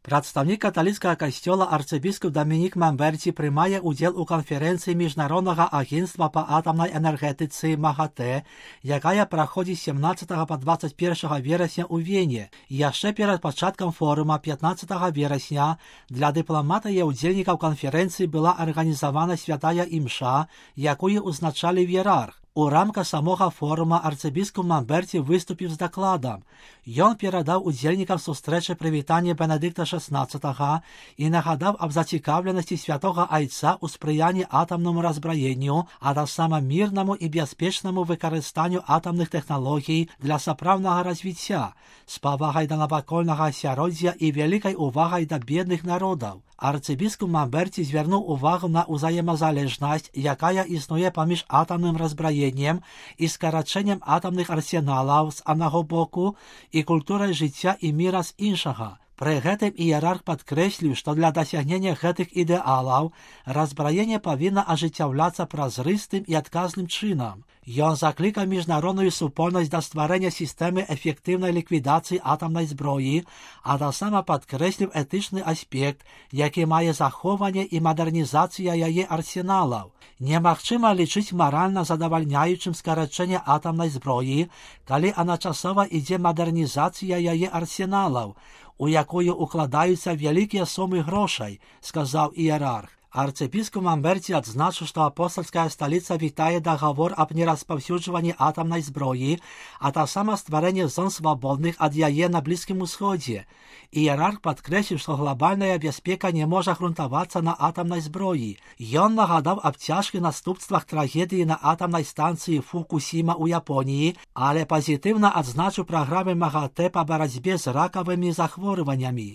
Прадстаўнік каталіцкага касцёла арцыбіскуп Дамінік Мамберці прымае ўдзел у канферэнцыі міжнароднага агенцтва па атамнай энергетыцы МАГАТЭ, якая праходзіць 17 па 21 верасня ў Вене. Яшчэ перад пачаткам форума 15 верасня для дыпламата і ўдзельнікаў канферэнцыі была арганізавана святая імша, якую ўзначалі іерарх. У рамках самога форума арцыбіскуп Мамберці выступіў з дакладам. Ён перадаў удзельнікам сустрэчы прывітанне Бенедыкта XVI і нагадаў аб зацікаўленасці святога айца ў спрыянні атамнаму разбраенню, а таксама мірнаму і бяспечнаму выкарыстанню атамных тэхналогій для сапраўднага развіцця, з павагай да навакольнага асяроддзя і вялікай увагай да бедных народаў. Арцыбіскуп Мамберці звярнуў увагу на ўзаемазалежнасць, якая існуе паміж атамным разбраеннем і скарачэннем атамных арсеналаў з аднаго боку і культурай жыцця і міра з іншага. Пры гэтым іерарх падкрэсліў, што для дасягнення гэтых ідэалаў разбраенне павінна ажыццяўляцца празрыстым і адказным чынам. Ён заклікаў міжнародную супольнасць да стварэння сістэмы эфектыўнай ліквідацыі атамнай зброі, а таксама падкрэсліў этычны аспект, які мае захоўванне і мадэрнізацыя яе арсеналаў. Немагчыма лічыць маральна задавальняючым скарачэнне атамнай зброі, калі адначасова ідзе мадэрнізацыя яе арсеналаў, у якую укладаюцца вялікія сумы грошай, сказаў іерарх. Арцыбіскуп Мамберці адзначыў, што апостальская сталіца вітае дагавор аб нераспаўсюджванні атамнай зброі, а таксама стварэнне зон свабодных ад яе на Блізкім Усходзе. Іерарх падкрэсліў, што глобальная бяспека не можа грунтавацца на атамнай зброі. Ён нагадаў аб цяжкіх наступствах трагедыі на атамнай станцыі Фукусіма ў Японіі, але пазітыўна адзначыў праграмы МАГАТЭ па барацьбе з ракавымі захворваннямі.